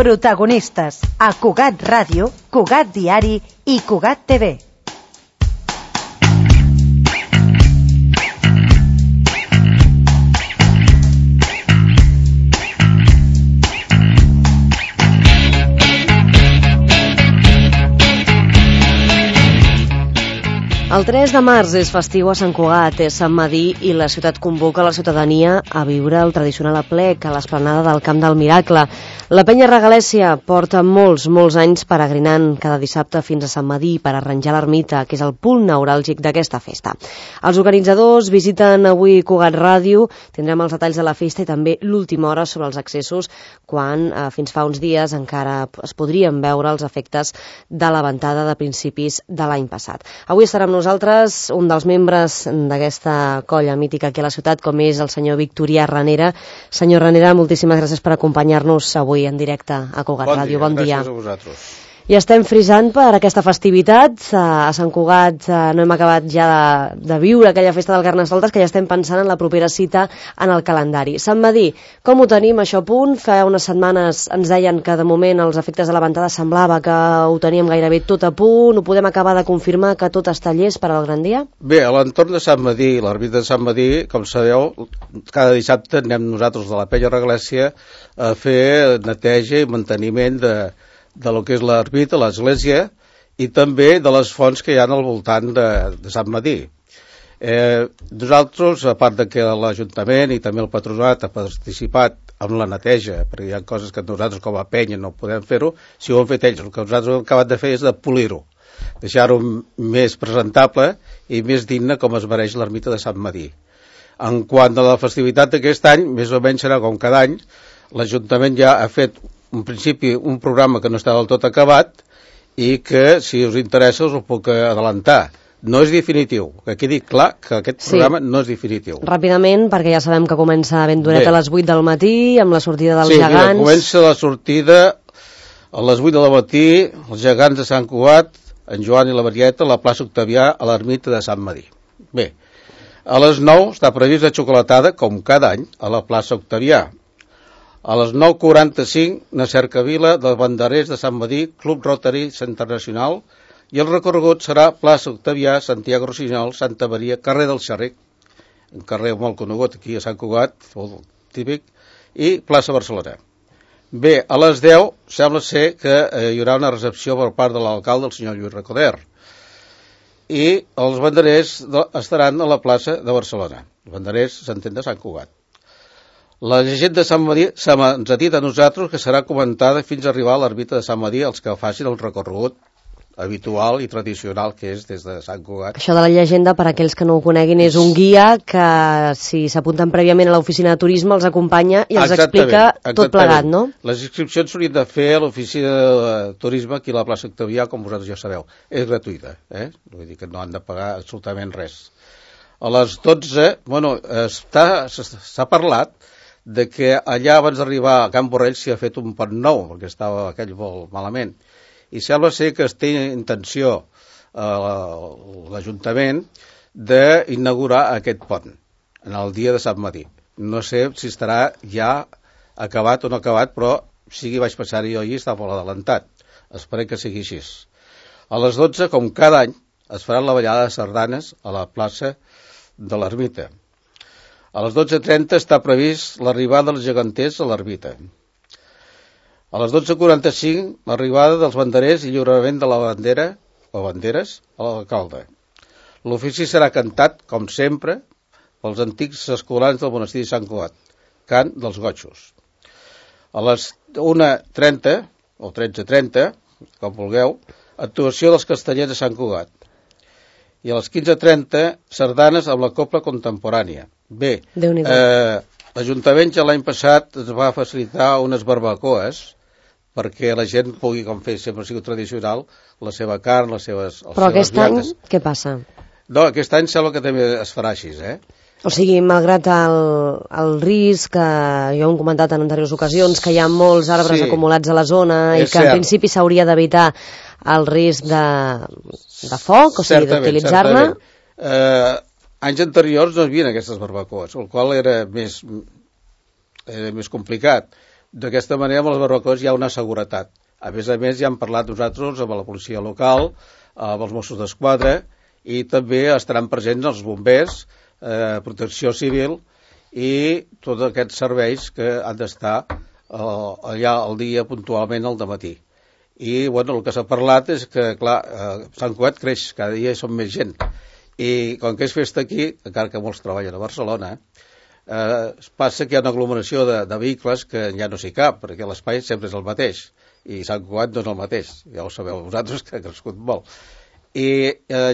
Protagonistes a Cugat Ràdio, Cugat Diari i Cugat TV. El 3 de març és festiu a Sant Cugat, és Sant Medir i la ciutat convoca la ciutadania a viure el tradicional aplec a l'esplanada del Camp del Miracle. La penya Regalèssia porta molts anys peregrinant cada dissabte fins a Sant Medir per arranjar l'ermita, que és el punt neuràlgic d'aquesta festa. Els organitzadors visiten avui Cugat Ràdio, tindrem els detalls de la festa i també l'última hora sobre els accessos, quan fins fa uns dies encara es podrien veure els efectes de la ventada de principis de l'any passat. Avui estarà amb nosaltres un dels membres d'aquesta colla mítica aquí a la ciutat, com és el senyor Victorià Ranera. Senyor Ranera, moltíssimes gràcies per acompanyar-nos avui en directe a Cugat Ràdio. Bon dia. Gràcies a vosaltres. I estem frisant per aquesta festivitat. A Sant Cugat no hem acabat ja de viure aquella festa del Carnestoltes, que ja estem pensant en la propera cita en el calendari. Sant Medir, com ho tenim això a punt? Fa unes setmanes ens deien que de moment els efectes de la ventada semblava que ho teníem gairebé tot a punt. Ho podem acabar de confirmar que tot està llest per al gran dia? Bé, a l'entorn de Sant Medir, l'ermita de Sant Medir, com sabeu, cada dissabte anem nosaltres de la penya Regalèssia a fer neteja i manteniment de lo que és l'ermita, l'església, i també de les fonts que hi ha al voltant de Sant Medir. Nosaltres, a part de que l'Ajuntament i també el Patronat ha participat en la neteja, perquè hi ha coses que nosaltres com a penya no podem fer-ho, si ho han fet ells, el que nosaltres hem acabat de fer és de polir-ho, deixar-ho més presentable i més digne com es mereix l'ermita de Sant Medir. En quant a la festivitat d'aquest any, més o menys serà com cada any, l'Ajuntament ja ha fet en principi un programa que no està del tot acabat i que, si us interessa, us ho puc adelantar. No és definitiu, que quedi clar que aquest programa no és definitiu. Ràpidament, perquè ja sabem que comença ben d'horet a les 8 del matí, amb la sortida dels gegants. Sí, comença la sortida a les 8 del matí, els gegants de Sant Cugat, en Joan i la Marieta, a la plaça Octavià, a l'ermita de Sant Medir. Bé, a les 9 està previst la xocolatada, com cada any, a la plaça Octavià. A les 9:45, una cercavila dels banderers de Sant Medir, Club Rotary Internacional, i el recorregut serà plaça Octavià, Santiago Rossinyol, Santa Maria, carrer del Xerric, un carrer molt conegut aquí a Sant Cugat, molt típic, i plaça Barcelona. Bé, a les 10 sembla ser que hi haurà una recepció per part de l'alcalde, el senyor Lluís Recoder, i els banderers estaran a la plaça de Barcelona. Els banderers s'entén de Sant Cugat. La llegenda de Sant Medir ens ha dit a nosaltres que serà comentada fins a arribar a l'ermita de Sant Medir els que facin el recorregut habitual i tradicional que és des de Sant Cugat. Això de la llegenda, per aquells que no ho coneguin, és un guia que, si s'apunten prèviament a l'oficina de turisme, els acompanya i els explica tot plegat, no? Les inscripcions s'haurien de fer a l'oficina de turisme aquí a la plaça Octavià, com vosaltres ja sabeu. És gratuïta, vull dir que no han de pagar absolutament res. A les 12, s'ha parlat de que allà abans d'arribar a Can Borrell s'hi ha fet un pont nou, perquè estava aquell molt malament. I sembla ser que es té intenció l'Ajuntament d'inaugurar aquest pont en el dia de Sant Medir. No sé si estarà ja acabat o no acabat, però sí que vaig passar-hi jo allí, està molt adelantat. Esperem que sigui així. A les 12, com cada any, es farà la ballada de sardanes a la plaça de l'ermita. A les 12:30 està previst l'arribada dels geganters a l'ermita. A les 12:45, l'arribada dels banderers i lliurament de la bandera, o banderes, a l'alcalde. L'ofici serà cantat, com sempre, pels antics escolans del monestir de Sant Cugat, cant dels gotxos. A les 1:30, o 13:30, com vulgueu, actuació dels castellers de Sant Cugat. I a les 15:30, sardanes amb la copla contemporània. Bé, l'Ajuntament ja l'any passat ens va facilitar unes barbacoes perquè la gent pugui, com fer, sempre ha sigut tradicional, la seva carn, les seves... Però aquest any, què passa? No, aquest any sembla que també es farà així, O sigui, malgrat el risc, que jo ho he comentat en anteriors ocasions, que hi ha molts arbres acumulats a la zona i que en principi s'hauria d'evitar el risc de foc, o sigui, d'utilitzar-ne... Anys anteriors no hi havia aquestes barbacoes, el qual era més complicat. D'aquesta manera, amb les barbacoes hi ha una seguretat. A més, ja hem parlat nosaltres amb la policia local, amb els Mossos d'Esquadra, i també estaran presents els bombers, protecció civil i tots aquests serveis que han d'estar allà al dia puntualment al dematí. I el que s'ha parlat és que, clar, Sant Cugat creix, cada dia som més gent. I com que és festa aquí, encara que molts treballen a Barcelona, passa que hi ha una aglomeració de vehicles que ja no s'hi cap, perquè l'espai sempre és el mateix, i Sant Cugat no és el mateix, ja ho sabeu vosaltres, que ha crescut molt. I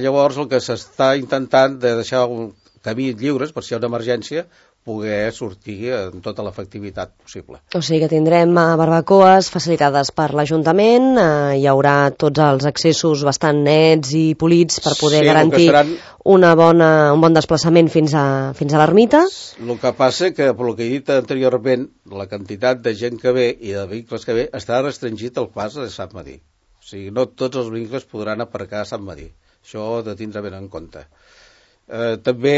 llavors el que s'està intentant de deixar un camí lliures, per si hi ha una emergència, poder sortir amb tota l'efectivitat possible. O sigui que tindrem barbacoes facilitades per l'Ajuntament, hi haurà tots els accessos bastant nets i polits per poder garantir un bon desplaçament fins a l'ermita. El que passa que, per el que he dit anteriorment, la quantitat de gent que ve i de vehicles que ve està restringit al pas de Sant Medir. O sigui, no tots els vehicles podran aparcar a Sant Medir. Això ho he de tindre ben en compte. També,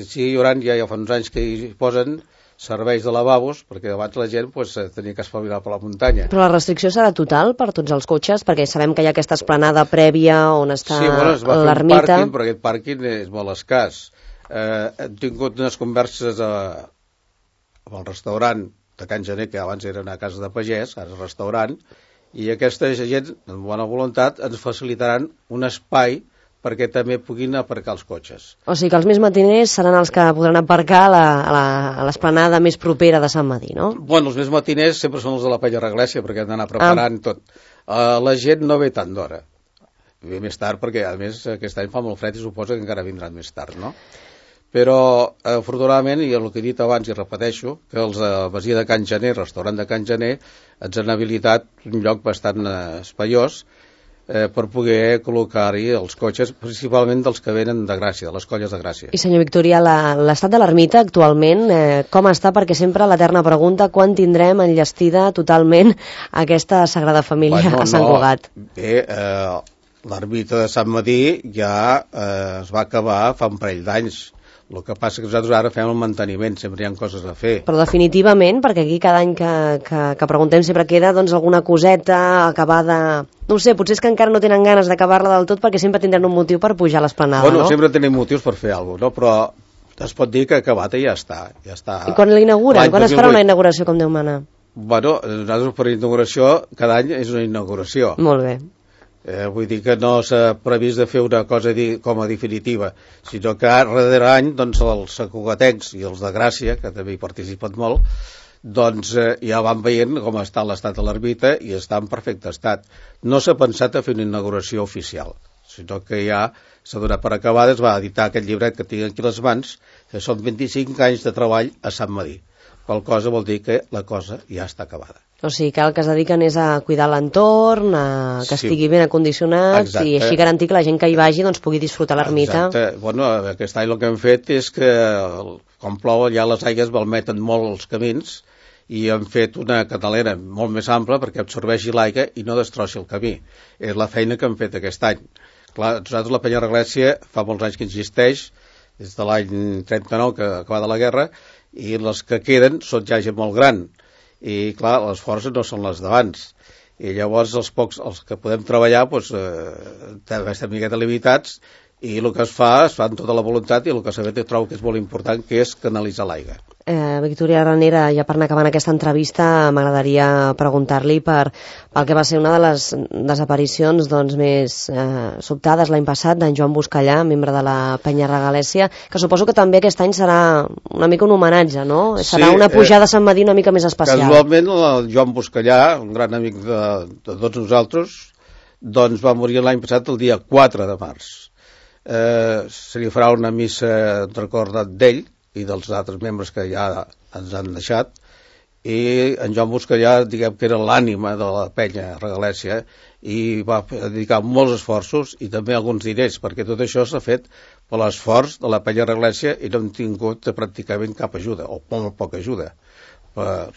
sí, hi haurà, ja fa uns anys que hi posen serveis de lavabos, perquè abans la gent tenia que espavilar per la muntanya. Però la restricció serà total per tots els cotxes, perquè sabem que hi ha aquesta esplanada prèvia on està l'ermita. Sí, es va fer un pàrquing, però aquest pàrquing és molt escàs. Hem tingut unes converses amb el restaurant de Can Gener, que abans era una casa de pagès, ara és restaurant, i aquesta gent, amb bona voluntat, ens facilitaran un espai perquè també puguin aparcar els cotxes. O sigui que els més matiners seran els que podran aparcar a l'esplanada més propera de Sant Medir, no? Bueno, els més matiners sempre són els de la Penya Reglèssia, perquè han d'anar preparant tot. La gent no ve tant d'hora. Ve més tard, perquè a més aquest any fa molt fred i suposa que encara vindran més tard, no? Però, afortunadament, i el que he dit abans i repeteixo, que els Masia de Can Gener, restaurant de Can Gener, ens han habilitat un lloc bastant espaiós per poder col·locar-hi els cotxes, principalment dels que venen de Gràcia, de les colles de Gràcia. I senyor Victorià, l'estat de l'ermita actualment, com està? Perquè sempre l'eterna pregunta, quan tindrem enllestida totalment aquesta Sagrada Família a Sant Cugat? Bé, l'ermita de Sant Medir ja es va acabar fa un parell d'anys. El que passa que nosaltres ara fem el manteniment, sempre hi ha coses a fer. Però definitivament, perquè aquí cada any que preguntem sempre queda alguna coseta acabada. No ho sé, potser és que encara no tenen ganes d'acabar-la del tot perquè sempre tindran un motiu per pujar a l'esplanada, no? Sempre tenim motius per fer alguna cosa, no? Però es pot dir que acabat i ja està. I quan l'inauguren? Quan es farà una inauguració, com Déu mana? Nosaltres per inauguració, cada any és una inauguració. Molt bé. Vull dir que no s'ha previst de fer una cosa com a definitiva, sinó que darrere any els sacugatencs i els de Gràcia, que també hi participen molt, ja van veient com està l'estat de l'ermita i està en perfecte estat. No s'ha pensat a fer una inauguració oficial, sinó que ja s'ha donat per acabada, es va editar aquest llibret que tinc aquí a les mans, que són 25 anys de treball a Sant Medir. Qual cosa vol dir que la cosa ja està acabada. O sigui que el que es dediquen és a cuidar l'entorn, que estigui ben acondicionat. Exacte. I així garantir que la gent que hi vagi pugui disfrutar l'ermita. Exacte. Bueno, aquest any el que hem fet és que quan plou ja les aigües malmeten molt els camins i hem fet una canalera molt més ampla perquè absorbeixi l'aigua i no destrossi el camí. És la feina que hem fet aquest any. Clar, nosaltres la Penya Reglèssia fa molts anys que existeix, des de l'any 39 que acaba de la guerra, i les que queden són ja gent molt gran i clar, les forces no són les d'abans i llavors els que podem treballar també estem miqueta limitats i el que es fa amb tota la voluntat i el que sabem trobo que és molt important, que és canalitzar l'aigua. Victòria Ranera, ja per anar acabant aquesta entrevista, m'agradaria preguntar-li pel que va ser una de les desaparicions més sobtades l'any passat d'en Joan Buscallà, membre de la Penya Regalèssia, que suposo que també aquest any serà una mica un homenatge, no? Serà una pujada a Sant Medir una mica més especial. Casualment, el Joan Buscallà, un gran amic de tots nosaltres, va morir l'any passat el dia 4 de març. Se li farà una missa en record d'ell i dels altres membres que ja ens han deixat, i en Joan Buscallà, diguem que era l'ànima de la Penya Regalèssia i va dedicar molts esforços i també alguns diners, perquè tot això s'ha fet per l'esforç de la Penya Regalèssia i no hem tingut pràcticament cap ajuda, o molt poca ajuda per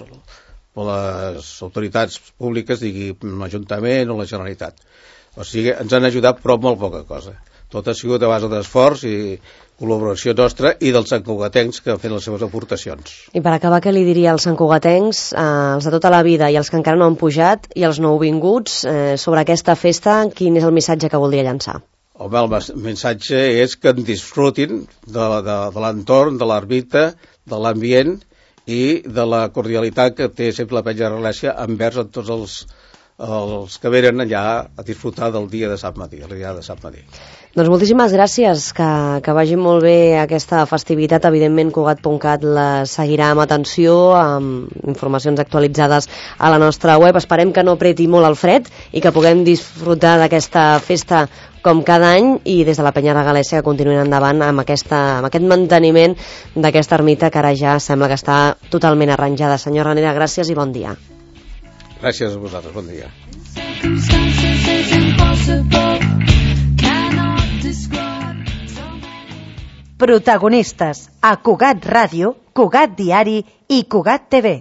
les autoritats públiques, digui l'Ajuntament o la Generalitat. O sigui, ens han ajudat però molt poca cosa. Tot ha sigut a base d'esforç i col·laboració nostra i dels santcugatencs que han fet les seves aportacions. I per acabar, què li diria als santcugatencs, els de tota la vida i els que encara no han pujat i els nouvinguts, sobre aquesta festa, quin és el missatge que voldria llançar? Home, el missatge és que en disfrutin de l'entorn, de l'ermita, de l'ambient i de la cordialitat que té sempre la Penya Regalèssia envers a tots els que venen allà a disfrutar del dia de Sant Madí, el dia de Sant Madí. Doncs moltíssimes gràcies, que vagi molt bé aquesta festivitat. Evidentment, Cugat.cat la seguirà amb atenció, amb informacions actualitzades a la nostra web. Esperem que no apreti molt el fred i que puguem disfrutar d'aquesta festa com cada any, i des de la Penya Regalèssia que continuïn endavant amb aquest manteniment d'aquesta ermita que ara ja sembla que està totalment arranjada. Senyor Ranera, gràcies i bon dia. Gràcies a vosaltres, bon dia. Protagonistes a Cugat Ràdio, Cugat Diari i Cugat TV.